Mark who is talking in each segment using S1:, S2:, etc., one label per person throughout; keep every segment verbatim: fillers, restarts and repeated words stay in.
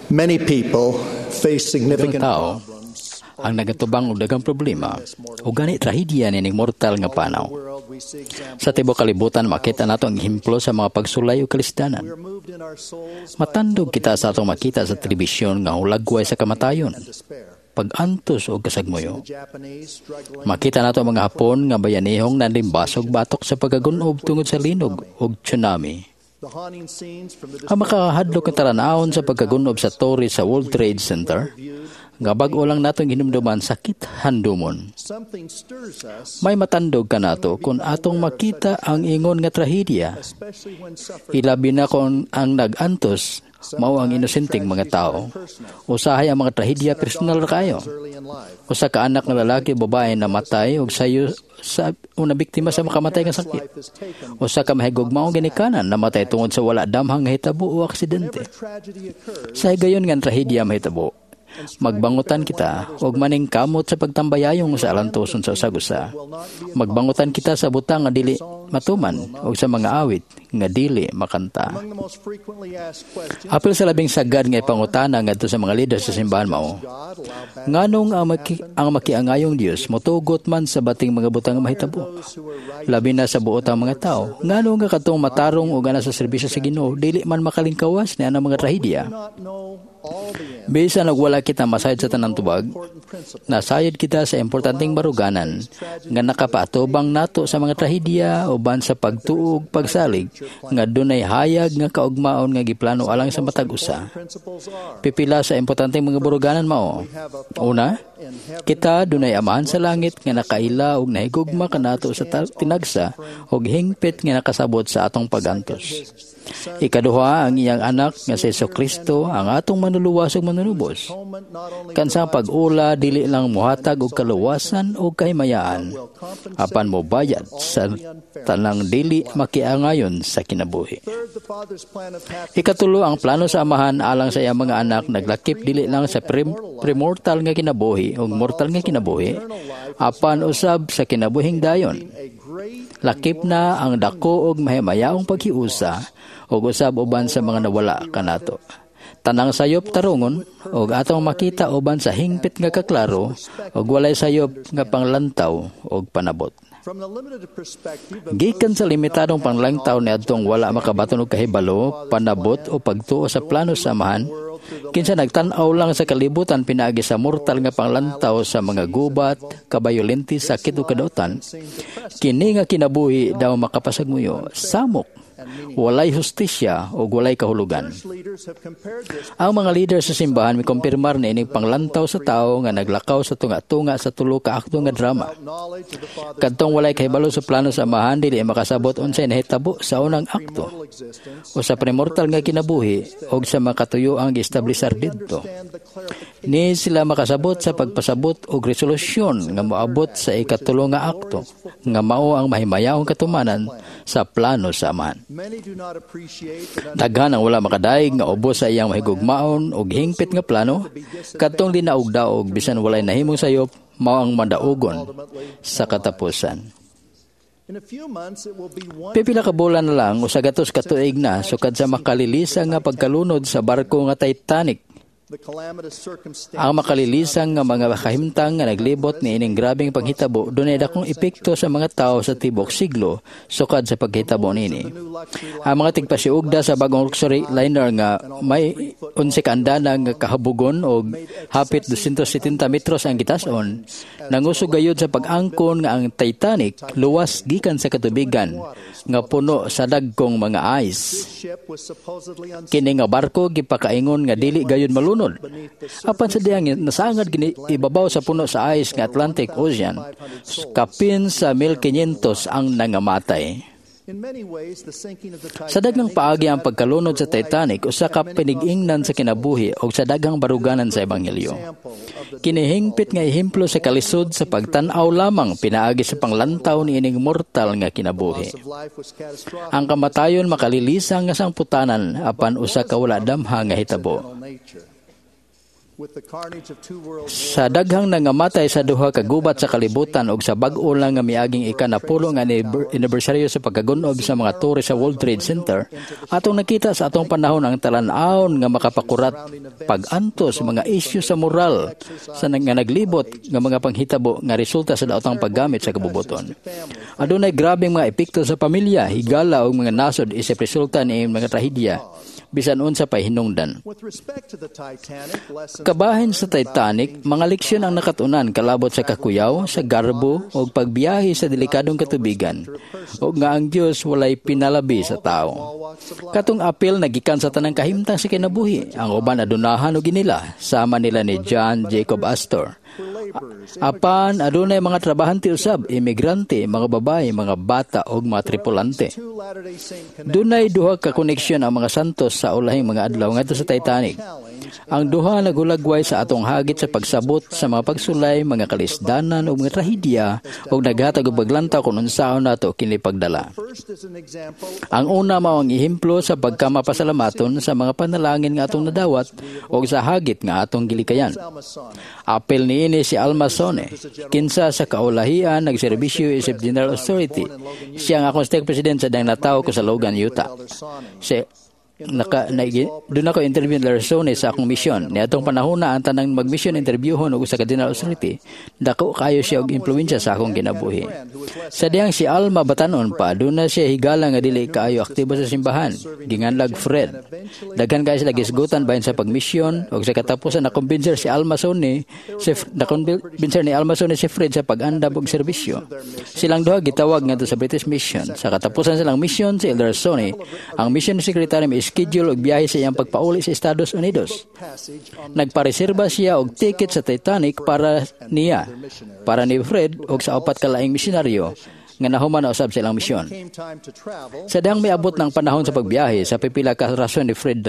S1: Many people face significant
S2: tao
S1: problems.
S2: ang nagatubang og daghang problema ug gani trahedya nining mortal nga panaw.
S1: World, we see examples.
S2: Sa tibuok kalibutan makita nato ang ehemplo sa mga pagsulay ug kalisdanan.
S1: We are moved in our souls by
S2: Matandog kita sa atong makita sa telebisyon nga hulagway sa kamatayon,
S1: despair.
S2: pag-antos og kasagmuyo.
S1: The Japanese struggling
S2: Makita nato ang mga Hapon nga bayanihong nanlimbasog batok sa pagkagunob tungod sa linog ug tsunami.
S1: the haunting scenes from the
S2: Ang makahadlok nga talan-awon sa pagkagunob sa torre sa World Trade Center, nga bag-o lang natong hinumduman sakit handumon.
S1: something stirs us,
S2: May matandog kanato kung atong makita ang ingon nga trahedya.
S1: especially when suffering
S2: Ilabi na kung ang nag-antos mao ang inosenteng mga tao. Usahay ang mga trahedya personal ra kayo.
S1: early in life.
S2: Usa ka anak nga lalaki o babae namatay og sayo sa una biktima sa makamatay nga sakit.
S1: Life is taken.
S2: Usa ka mahigugmaong ginikanan namatay tungod sa wala damhang hitabo o aksidente.
S1: Tragedy occurs.
S2: Sa higayon nga ang trahedya mahitabo, magbangutan kita og maningkamot sa pagtambayayong sa alantoson sa usag-usa. Magbangutan kita sa butang nga dili matuman og sa mga awit nga dili makanta.
S1: Among the most frequently asked questions,
S2: Apil sa labing sagad nga ipangutana ngadto sa mga leader sa simbahan mao.
S1: God allow bad
S2: Nganong ang, maki, ang makiangayong Dios motugot man sa bating mga butang nga mahitabo.
S1: those who are right
S2: Labi na sa buot ang mga tao. Ngano nga katong matarong og ana sa serbisyo sa Ginoo dili man makalingkawas ni anang mga trahedya.
S1: not know all the end.
S2: Bisan og wala kita masayod sa tanang tubag,
S1: Important principle.
S2: nasayod kita sa importanteng baruganan nga nakapaatubang nato sa mga trahedya uban sa pagtuog pagsalig nga dunay hayag nga kaugmaon nga giplano alang sa matag usa.
S1: Principles are
S2: Pipila sa importanteng mga baruganan mao. Una, kita dunay amahan sa langit nga nakaila og nahigugma kanato sa ta- tinagsa og hingpit nga nakasabot sa atong pagantos. Ikaduha ang iyang anak nga si Kristo ang atong manluluwas ug manunubos.
S1: atonement not only
S2: Kansang pag-ula dili lang mohatag og kaluwasan o kahimayaan
S1: will compensate
S2: apan mobayad sa tanang dili makiangayon sa kinabuhi.
S1: Third, the Father's plan of happiness
S2: Ikatulo, ang plano sa amahan alang sa iyang mga anak naglakip dili lang sa prim- primortal nga kinabuhi ug mortal nga kinabuhi apan usab sa kinabuhing dayon.
S1: a great
S2: Lakip na ang dako og mahimayaong paghiusa ug usab uban sa mga nawala kanato. Tanang sayop tarungon ug atong makita uban sa hingpit nga kaklaro ug walay sayop nga panglantaw ug panabot.
S1: from the limited perspective of
S2: Gikan sa limitadong panglantaw niadtong wala makabaton og kahibalo, panabot o pagtuo sa plano sa amahan, kinsa nagtan-aw lang sa kalibutan pinaagi sa mortal nga panglantaw sa mga gubat, kabayolente, sakit o kadautan, kini nga kinabuhi daw makapasagmuyo, samok, walay hustisya o walay kahulugan.
S1: leaders have compared this
S2: Ang mga leader sa simbahan mikumpirmar na ining panglantaw sa tao nga naglakaw sa tunga-tunga sa tulo ka akto nga drama.
S1: knowledge of the Father's
S2: Kadtong walay kahibalo sa plano sa amahan dili makasabot unsay nahitabo sa unang akto
S1: mortal existence
S2: o sa premortal nga kinabuhi og sa makatuyo ang giestablisar didto.
S1: and the clarification
S2: Ni sila makasabot sa pagpasabot og resolusyon nga moabot sa ikatulo nga akto nga mao ang mahimayaong katumanan sa plano sa amahan.
S1: many do not appreciate that
S2: Daghan ang wala makadaig nga ubos sa iyang mahigugmaon og hingpit nga plano kadtong dinaog-daog bisan walay nahimong sayop mao ang mandaugon sa katapusan.
S1: in a few months it will be one
S2: Pipila ka bulan na lang usa gatos ka tuig na sukad sa makalilisang nga pagkalunod sa barko nga Titanic.
S1: the calamitous circumstances
S2: Ang makalilisang nga mga kahimtang nga naglibot niining grabeng panghitabo dunay dakong epekto sa mga tao sa tibok siglo sukad sa paghitabo niini.
S1: new luxury
S2: Ang mga tigpasiugda sa bagong luxury liner nga may unse ka andana nga kahabugon og hapit two hundred seventy metros ang gitason nangusog gayud sa pag-angkon nga ang Titanic luwas gikan sa katubigan nga puno sa dagkong mga ice.
S1: Ship was supposedly unsinkable.
S2: Kini nga barko gipakaingon nga dili gayud malunod. Apan sa diyang nasangad gini ibabaw sa puno sa ice nga Atlantic Ocean, kapin sa one thousand five hundred ang nangamatay.
S1: In many ways, the sinking of the
S2: Sa daghang paagi ang pagkalunod sa Titanic usa ka pinigingnan sa kinabuhi o sa daghang baruganan sa ebanghelyo.
S1: Example of the
S2: Kinihingpit nga ehemplo sa kalisod sa pagtan-aw lamang pinaagi sa panglantaw ni ining mortal nga kinabuhi.
S1: Loss of life was catastrophic
S2: Ang kamatayon makalilisang nga sangputanan apan usa ka wala damha nga hitabo.
S1: nature. With the carnage of two world
S2: Sa daghang nangamatay sa duha ka gubat sa kalibutan og sa bag-o lang nga miaging ikanapulo nga anibersaryo sa pagkagunob sa mga tore sa World Trade Center, atong nakita sa atong panahon ang talan-awon nga makapakurat pag-antos sa mga isyu sa moral sa nga naglibot nga mga panghitabo nga resulta sa daotang paggamit sa kabubuton. Adunay grabeng mga epekto sa pamilya, higala ug mga nasod isip resulta ni mga trahedya bisan unsa pay hinungdan.
S1: With respect to the Titanic, lessons
S2: Kabahin sa Titanic, mga leksyon ang nakatunan kalabot sa kakuyaw, sa garbo, o pagbiyahe sa delikadong katubigan, o nga ang Dios walay pinalabi sa tao.
S1: all walks of life.
S2: Katong apel nagikan sa tanang kahimtang sa kinabuhi, ang uban adunahan og ginila, sama nila ni John Jacob Astor.
S1: Were laborers,
S2: Apan adunay mga trabahante usab, imigrante, mga babae, mga bata ug mga tripulante.
S1: two Latter-day Saint connections
S2: Dunay duha ka koneksyon ang mga santos sa ulahing mga adlaw ngadto sa Titanic. Ang duha nagulagway sa atong hagit sa pagsabot sa mga pagsulay, mga kalisdanan ug mga trahedya ug naghatag og paglantaw kung unsaon nato kini pagdala.
S1: First is an example
S2: Ang una mao ang ehemplo sa pagkamapasalamaton sa mga panalangin nga atong nadawat ug sa hagit nga atong gilikayan.
S1: Alma Sonne.
S2: Apel niini si Alma Sone, kinsa sa kaulahian nagserbisyo isip General Authority. Siya ang akong stake president sa dang natawo ko sa Logan, Utah.
S1: Elder Sonne.
S2: Si naka na, doon ako interview ni Sone sa akong misyon. Niadtong panahon na ang tanang mag-mission interviewhon og usa ka General Authority, dako kayo siya og impluwensya sa akong kinabuhi. Sa diyang si Alma batanon pa, doon na siya higala nga dili kaayo aktibo sa simbahan. Ginganlag Fred. Daghan kayo sila gisgutan bahin sa pagmisyon og sa katapusan na kumbinser si Alma Sone, si nakumbinser ni Alma Sone si Fred sa pag-andam og serbisyo. Silang duha gitawag ngadto sa British Mission. Sa katapusan silang mission si Elder Sone, ang mission secretary mi schedule og biyahe sa iyang pagpauli sa Estados Unidos.
S1: Passage on
S2: Nagpareserba siya og ticket sa Titanic para niya, para ni Fred og sa upat ka laing misyonaryo nga nahuman na usab sa ilang misyon.
S1: came time to travel.
S2: Sa dihang miabot ng panahon sa pagbiyahe sa pipila ka rason ni Fred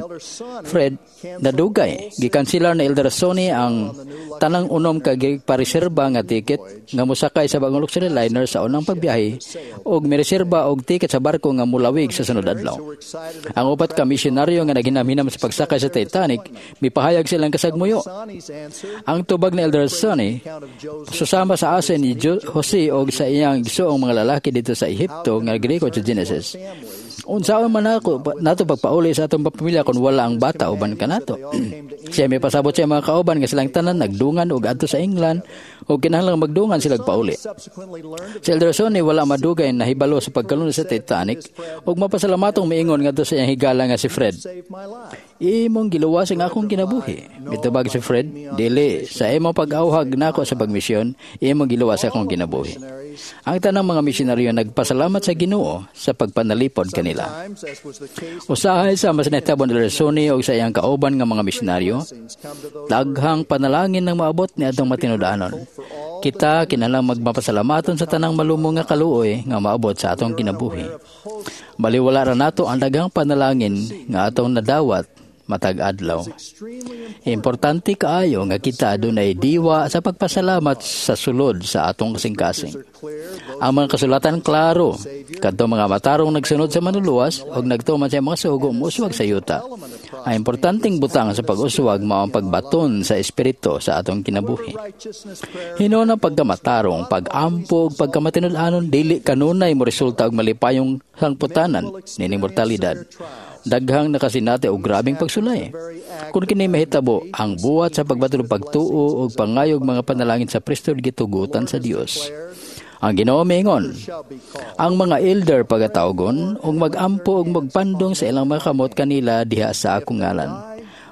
S2: Fred nadugay gikanselar ni Elder Sonny ang tanang unom ka pareserba nga ticket nga mosakay sa bagong luxury liner sa unang pagbiyahe ug mireserba og ticket sa barko nga mulawig sa sunod adlaw.
S1: Who were excited
S2: Ang upat ka misyonaryo nga naghinamhinam sa pagsakay sa Titanic mipahayag silang kasagmuyo.
S1: Sonny's answer,
S2: Ang tubag ni Elder Sonny
S1: account of Joseph
S2: susama sa asin ni Jo- Jose og sa iyang gisuong mga lalaki dito sa Ehipto nga Greko sa Genesis.
S1: families
S2: Unsaon man ako nato pagpauli sa atong pamilya kung wala ang bata uban kanato. Siya may pasabot sa mga kauban nga silang tanan nagdungan og adto sa England ug kinahanglang magdungan sila pauli.
S1: subsequently learned of
S2: Si Elder Sonny wala madugay nahibalo sa pagkalunod sa Titanic ug mapasalamaton miingon ngadto sa iyang higala nga si Fred.
S1: saved my life.
S2: Imong giluwas ang akong kinabuhi. Mitubag si Fred, dili sa imong pag-auhag nako sa pagmisyon, imong giluwas akong kinabuhi.
S1: Missionaries
S2: Ang tanang mga misyonaryo nagpasalamat sa Ginoo sa pagpanalipod kanila.
S1: times, as was the case
S2: Usahay sa mas nahitabo ni Elder Sonny og sa iyang kauban nga mga misyonaryo,
S1: blessings come to those
S2: daghang panalangin ng maabot ni atong matinud-anon. Kita kinahanglang magmapasalamaton sa tanang malumo nga kaluoy nga maabot sa atong kinabuhi.
S1: of hosts
S2: Baliwala ra nato ang daghang panalangin nga atong nadawat matag adlaw.
S1: extremely
S2: Importante kaayo nga kita adunay diwa sa pagpasalamat sa sulod sa atong kasing-kasing.
S1: are clear those
S2: Ang mga kasulatan klaro, kadto mga matarong nagsunod sa manluluwas og nagtuman sa mga sugo mouswag sa yuta. Ang importanteng butang sa pag-uswag mao ang pagbaton sa espiritu sa atong kinabuhi.
S1: righteousness prayer
S2: Hinuon ang pagkamatarong, pag-ampo ug pagkamatinud-anon dili kanunay mo resulta og malipayong sangputanan nining mortalidad. Daghang nakasinati og grabeng pagsulay. Kung kini mahitabo, ang buhat sa pagbaton og pagtuo ug pangayog mga panalangin sa priesthood gitugutan sa Dios. Ang Ginoo miingon,
S1: shall be called.
S2: ang mga elder pagatawgon ug magampo ug magpandong sa ilang mga kamot kanila diha sa akong ngalan.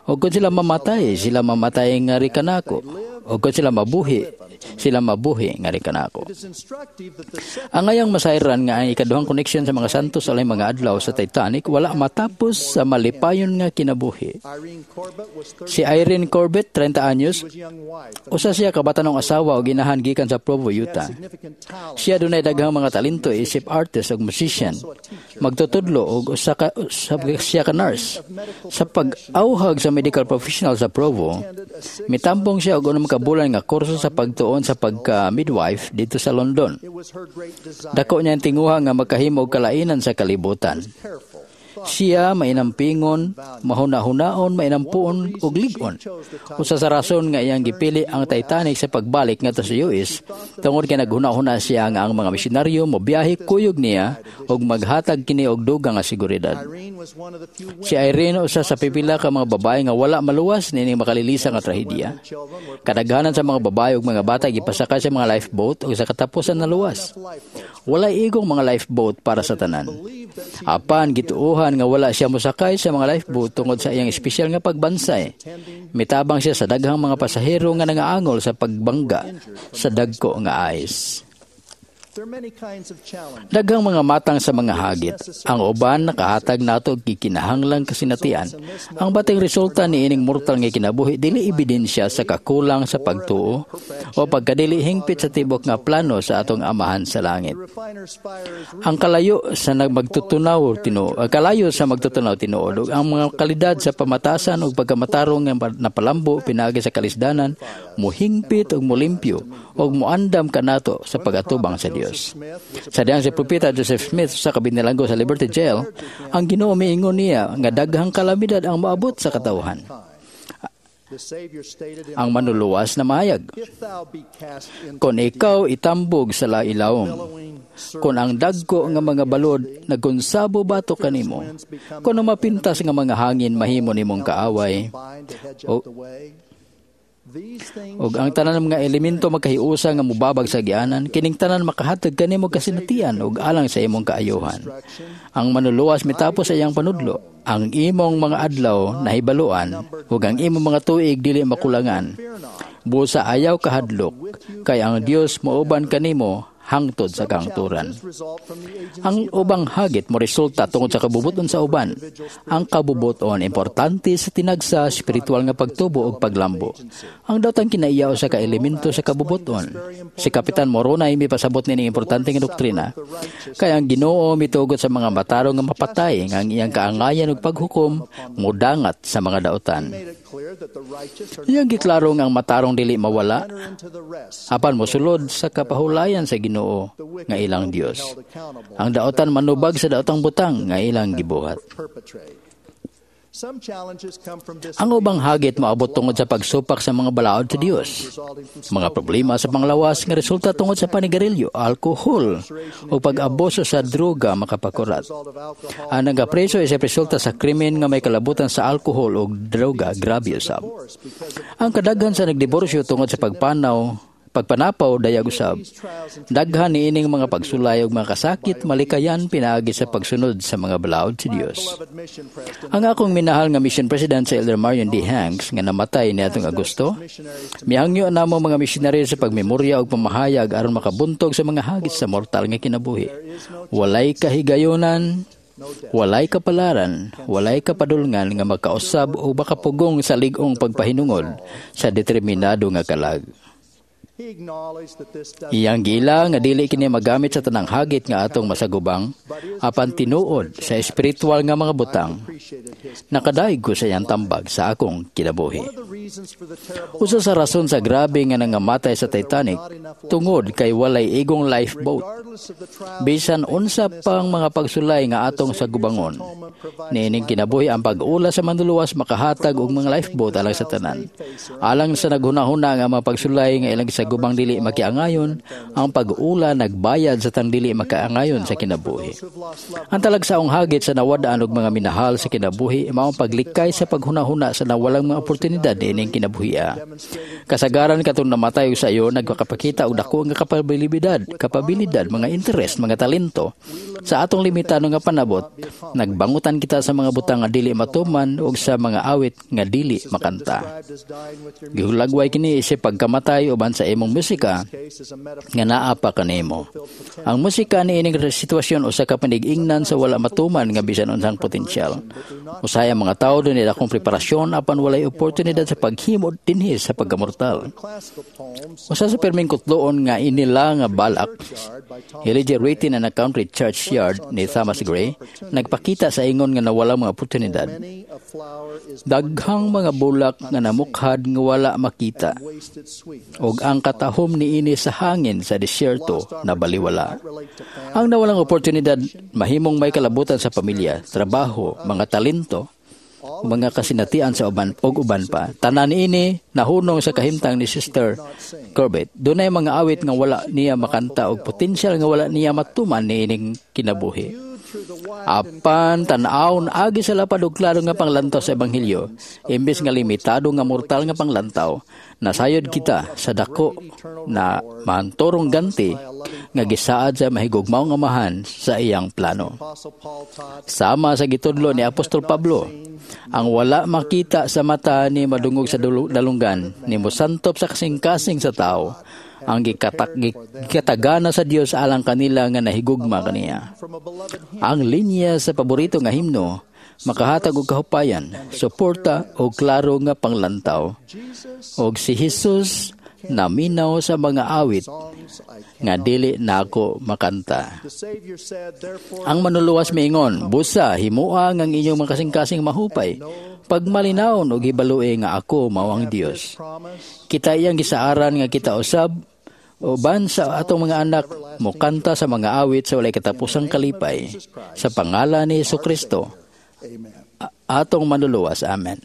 S2: Ug kung sila mamatay, sila mamatay ngari kanako. Ug kung sila mabuhi, sila mabuhi ngari kanako.
S1: It is instructive that the second
S2: Ang ngayang masayran nga ang ikaduhang connection sa mga santos sa mga adlaw sa Titanic wala matapos sa malipayon nga kinabuhi.
S1: Irene Corbett was thirty
S2: Si Irene Corbett, trenta anyos,
S1: was young wife and
S2: usa siya ka batanong asawa o ginahan gikan sa Provo, Utah.
S1: significant talent
S2: Siya dunay daghang mga talento isip artist ug musician. Magtutudlo og usa ka usa siya ka nurse. Sa pag-auhag sa medical professional sa Provo, mitambong siya og unom ka bulan nga kurso sa pagtuon sa pagka-midwife dito sa London.
S1: It was her great desire
S2: Dako niya ang tinguha nga makahimo og kalainan sa kalibutan.
S1: careful
S2: Siya mainampingon, mahuna-hunaon, mainampuon ug lig-on. Usa sa rason nga iyang gipili ang Titanic sa pagbalik ngadto sa U S tungod kay naghuna-huna siya nga ang mga misyonaryo mobiyahe kuyog niya ug maghatag kini og dugang nga seguridad.
S1: Irene was one of the few
S2: Si Irene, usa sa pipila ka mga babae nga wala maluwas niining makalilisa nga trahedya.
S1: Children were
S2: Kadaghanan sa mga babae ug mga bata gipasakay sa mga lifeboat ug sa katapusan naluwas.
S1: Lifeboats.
S2: Walay igong mga lifeboat para sa tanan.
S1: Believed that she
S2: Apan gituohan nga wala siya mosakay sa mga lifeboat tungod sa iyang espesyal nga pagbansay. Mitabang siya sa daghang mga pasahero nga nangaangol sa pagbangga sa dagko nga ice.
S1: There are many kinds of challenges.
S2: Daghang mga matang sa mga hagit. Ang uban nakahatag nato og gikinahanglang kasinatian. Ang bating resulta niining mortal nga kinabuhi dili ebidensya sa kakulang sa pagtuo o pagkadili hingpit sa tibok nga plano sa atong Amahan sa langit.
S1: The refiner's fire is
S2: Ang kalayo sa nagmagtutunaw tinuod, kalayo sa magtutunaw tinuod ug ang mga kalidad sa pamatasan ug pagkamatarong nga napalambo pinaagi sa kalisdanan muhingpit ug mulimpyo ug muandam kanato sa pagatubang sa Dios.
S1: Smith was
S2: Sa dihang si Propeta Joseph Smith sa kabinilanggo sa Liberty Jail, ang Ginoo miingon niya nga daghang kalamidad ang moabot sa katawhan.
S1: The Savior stated in
S2: Ang Manluluwas namahayag,
S1: "If thou be cast into
S2: "Kung ikaw itambog sa ilawom,
S1: billowing
S2: kung ang dagko nga mga balod nagkonsabo batok kanimo, kung ang mapintas nga mga hangin mahimo nimong kaaway,
S1: bind to hedge
S2: O-
S1: up the way, these things
S2: ug ang tanan mga elemento magkahiusa nga mubabag sa agianan, kining tanan makahatag kanimo kasinatian ug alang sa imong kaayohan." Ang Manluluwas mitapos sa iyang panudlo, "Ang imong mga adlaw nahibaluan ug ang imong mga tuig dili makulangan.
S1: Fear not.
S2: Busa ayaw kahadlok, kay ang Dios mauban kanimo hangtod sa kahangturan."
S1: Challenges result from the agency
S2: Ang ubang hagit mo resulta tungod sa kabubuton sa uban. Ang kabubuton importante sa tinagsa espiritual nga pagtubo ug paglambo. Ang daotang kinaiya usa ka elemento sa kabubuton. Si Kapitan Moroni mipasabot nining importante nga doktrina. "Kay ang Ginoo mitugot sa mga matarong nga mapatay nga ang iyang kaangayan ug paghukom mudangat sa mga dautan."
S1: Made it clear that the righteous are
S2: Iyang giklaro nga ang matarong dili mawala
S1: enter into the rest.
S2: apan mosulod sa kapahulayan sa Ginoo nga ilang Dios.
S1: Held accountable
S2: Ang daotan manubag sa daotang butang nga ilang gibuhat.
S1: perpetrate. Some challenges come from
S2: Ang ubang hagit moabot tungod sa pagsupak sa mga balaod sa Dios.
S1: Resulting from
S2: Mga problema sa panglawas nga resulta tungod sa panigarilyo, alkohol o pag-abuso sa droga makapakurat.
S1: Result of alcohol
S2: Ang nagapreso ay sa resulta sa krimen nga may kalabutan sa alkohol o droga, grabe usab.
S1: Divorce because of
S2: Ang kadaghan sa nagdiborsyo tungod sa pagpanaw, pagpanapaw dayag usab. Daghan niining mga pagsulay ug mga kasakit malikayan pinaagi sa pagsunod sa mga balaod sa Dios.
S1: Beloved mission president
S2: Ang akong minahal nga mission president, sa Elder Marion D. Hanks, nga namatay niadtong Agosto,
S1: missionaries
S2: mihangyo namo mga misyonaryo sa pagmemorya ug pamahayag aron makabuntog sa mga hagit sa mortal nga kinabuhi. Walay kahigayonan, walay kapalaran, walay kapadulngan nga makausab o makapugong sa lig-ong pagpahinungod sa determinado nga kalag.
S1: He acknowledged that this does
S2: Iyang giila nga dili kini magamit sa tanang hagit nga atong masagubang, apan tinuod sa espiritual nga mga butang.
S1: Appreciated his
S2: Nakadaig ko sa iyang tambag sa akong kinabuhi.
S1: One of the reasons for the terrible
S2: Usa sa rason sa grabe nga nangamatay sa Titanic, tungod kay walay igong lifeboat.
S1: Regardless of the trials
S2: Bisan unsa pang mga pagsulay nga atong sagubangon niining kinabuhi, ang pag-ula sa Manluluwas makahatag og mga lifeboat alang sa tanan. Alang sa naghunahuna nga mga pagsulay nga ilang sagubang dili makiangayon, ang pag-ula nagbayad sa tanang dili makaangayon sa kinabuhi.
S1: Who have lost loved
S2: Ang talagsaong hagit sa nawad-an og mga minahal sa kinabuhi mao ang paglikay sa paghunahuna sa nawalang mga oportunidad niining kinabuhia. Kasagaran katong namatay og sayo nagpakapakita og dako nga kapabilidad, kapabilidad, mga interes, mga talento. Sa atong limitado nga panabot, nagbangutan kita sa mga butang nga dili matuman ug sa mga awit nga dili makanta.
S1: Described as dying with your
S2: Gihulagway kini isip pagkamatay uban sa imong musika
S1: case as a metaphor
S2: nga naa pa kanimo. Ang musika niining sitwasyon usa ka panig-ingnan sa wala matuman nga bisan unsang potensyal. Usahay ang mga tawo dunay dakong preparasyon apan walay oportunidad sa paghimo dinhi sa pagkamortal.
S1: Classical poems
S2: Usa sa perming kutloon nga inila nga balak,
S1: Yard by Thomas
S2: Elegy Written in a Country Churchyard ni Thomas Gray, nagpakita sa ingon nga nawala mga oportunidad.
S1: Many a flower is
S2: Daghang mga bulak nga namukhad nga wala makita
S1: wasted sweetness
S2: ug ang makatahom niini sa hangin sa disyerto na baliwala. Ang nawalang oportunidad mahimong may kalabutan sa pamilya, trabaho, mga talento, mga kasinatian sa uban ug uban pa. Tanan ini nahunong sa kahimtang ni Sister Corbett. Dunay mga awit nga wala niya makanta og potensyal nga wala niya matuman niining kinabuhi. Apan tan-awon agi sa lapad og klaro nga panglantaw sa ebanghelyo, imbes nga limitado nga mortal nga panglantaw, nasayod kita sa dako na mahanturong ganti nga gisaad sa mahigugmaong Amahan sa iyang plano. Sama sa gitudlo ni Apostol Pablo, ang wala makita sa mata ni madungog sa dalunggan, ni mosantop sa kasing-kasing sa tao, ang gikatak, gikatagana sa Dios alang kanila nga nahigugma kaniya. Ang linya sa paborito nga himno makahatag og kahupayan, suporta og klaro nga panglantaw. Og si Jesus naminaw sa mga awit nga dili nako makanta. Ang Manluluwas miingon, "Busa, himua nga ang inyong mga kasing-kasing mahupay, pagmalinawon og hibalue nga ako mao ang Dios." Kita iyang gisaaran nga kita usab uban sa atong mga anak mokanta sa mga awit sa walay katapusang kalipay sa pangalan ni Hesus Kristo, atong Manluluwas. Amen.